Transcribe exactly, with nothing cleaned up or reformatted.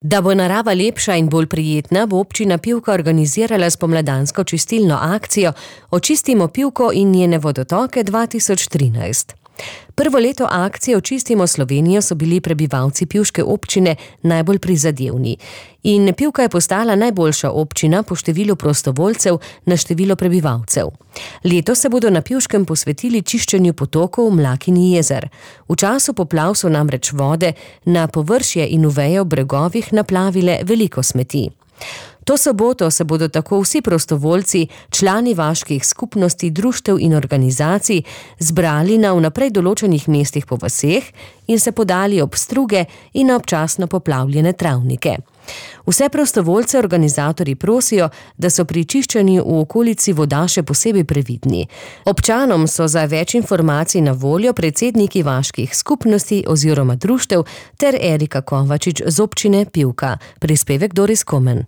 Da bo narava lepša in bolj prijetna, bo občina Pivka organizirala spomladansko čistilno akcijo Očistimo Pivko in njene vodotoke dva tisoč trinajst. Prvo leto akcije Očistimo Slovenijo so bili prebivalci pivške občine najbolj prizadevni. In Pivka je postala najboljša občina po številu prostovoljcev na število prebivalcev. Letos se bodo na Pivškem posvetili čiščenju potokov, mlak in jezer. V času poplav so namreč vode na površje in v veje ob bregovih naplavile veliko smeti. To soboto se bodo tako vsi prostovoljci, člani vaških skupnosti, društev in organizacij zbrali na vnaprej določenih mestih po vaseh in se podali ob struge in na občasno poplavljene travnike. Vse prostovoljce organizatorji prosijo, da so pri čiščenju v okolici voda še posebej previdni. Občanom so za več informacij na voljo predsedniki vaških skupnosti oziroma društev ter Erika Kovačič z občine Pivka. Prispevek Doris Komen.